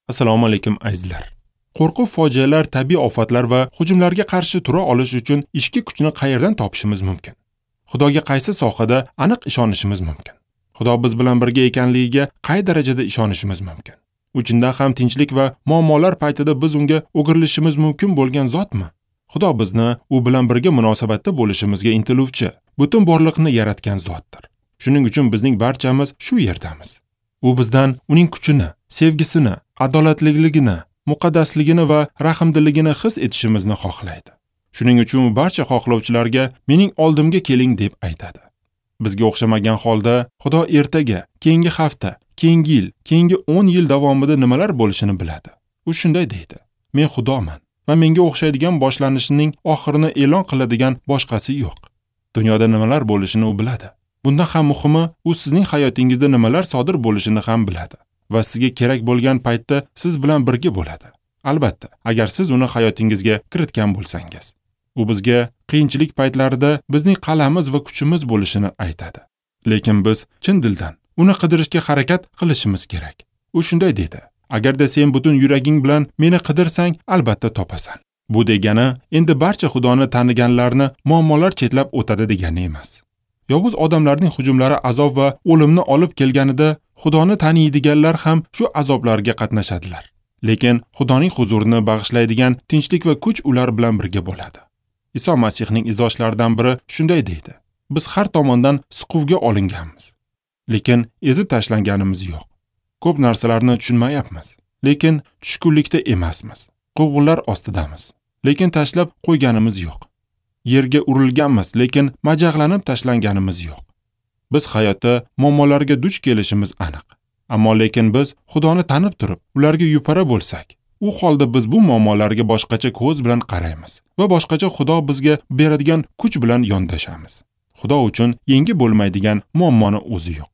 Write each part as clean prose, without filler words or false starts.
Assalomu alaykum azizlar. Qo'rquv, fojialar, tabiiy ofatlar va hujumlarga qarshi tura olish uchun ichki kuchni qayerdan topishimiz mumkin? Xudoga qaysi sohada aniq ishonishimiz mumkin? Xudo biz bilan birga ekanligiga qay darajada ishonishimiz mumkin? Uchindan ham tinchlik va muammolar paytida biz unga o'girilishimiz mumkin bo'lgan zotmi? Xudo bizni u bilan birga munosabatda bo'lishimizga intiluvchi, butun borliqni yaratgan zotdir. Shuning uchun bizning barchamiz shu yerdamiz. U bizdan uning kuchini, sevgisini, adolatliligini, muqaddasligini va rahmdilligini his etishimizni xohlaydi. Shuning uchun u barcha xohlovchilarga mening oldimga keling deb aytadi. Bizga o'xshamagan holda Xudo ertaga, keyingi hafta, keyingi yil, keyingi 10 yil davomida nimalar bo'lishini biladi. U shunday deydi: Men Xudoman va menga o'xshaydigan boshlanishining oxirini e'lon qiladigan boshqasi yo'q. Dunyoda nimalar bo'lishini u biladi. Bundan ham muhimi, u sizning hayotingizda nimalar sodir bo'lishini ham biladi va sizga kerak bo'lgan paytda siz bilan birga bo'ladi. Albatta, agar siz uni hayotingizga kiritgan bo'lsangiz. U bizga qiyinchilik paytlarida bizning qal'amiz va kuchimiz bo'lishini aytadi. Lekin biz chin dildan uni qidirishga harakat qilishimiz kerak. U shunday dedi: Agarda sen butun yuraging bilan meni qidirsang, albatta topasan. Bu degani endi barcha Xudoni taniganlarni muammolar chetlab o'tadi degani emas. Yovuz odamlarning hujumlari azob va o'limni olib kelganida Xudoni taniydiganlar ham shu azoblarga qatnashadilar. Lekin Xudoning huzurini bag'ishlaydigan tinchlik va kuch ular bilan birga bo'ladi. Iso Masihning izdoshlaridan biri shunday deydi: Biz har tomondan siquvga olinganmiz, lekin ezib tashlanganimiz yo'q. Ko'p narsalarni tushunmayapmiz, lekin tushkunlikda emasmiz. Quvg'inlar ostidamiz, lekin tashlab qo'yganimiz yo'q. Yerga urilganmiz, lekin majaqlanib tashlanganimiz yo'q. Biz hayotda muammolarga duch kelishimiz aniq. Ammo lekin biz Xudoni tanib turib, ularga yupara bo'lsak, u holda biz bu muammolarga boshqacha ko'z bilan qaraymiz va boshqacha Xudo bizga beradigan kuch bilan yondashamiz. Xudo uchun yengi bo'lmaydigan muammoni o'zi yo'q.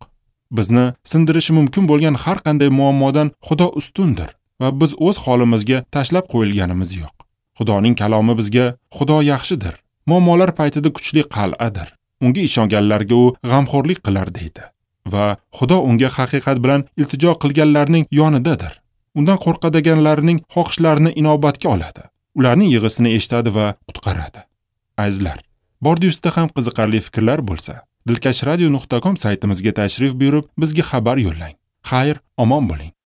Bizni sindirishi mumkin bo'lgan har qanday muammodan Xudo ustundir va biz o'z holimizga tashlab qo'yilganimiz yo'q. Xudoning kalomi bizga Xudo yaxshidir, muammolar paytida kuchli qal'adir. Unga ishonganlarga u g'amxo'rlik qilar deydi va Xudo unga haqiqat bilan iltijo qilganlarning yonidadir. Undan qo'rqadiganlarning xohishlarini inobatga oladi. Ularning yig'isini eshitadi va qutqaradi. Azizlar, bordi-ustida ham qiziqarli fikrlar bo'lsa, dilkashradio.com saytimizga tashrif buyurib, bizga xabar yo'llang. Xayr, omon bo'ling.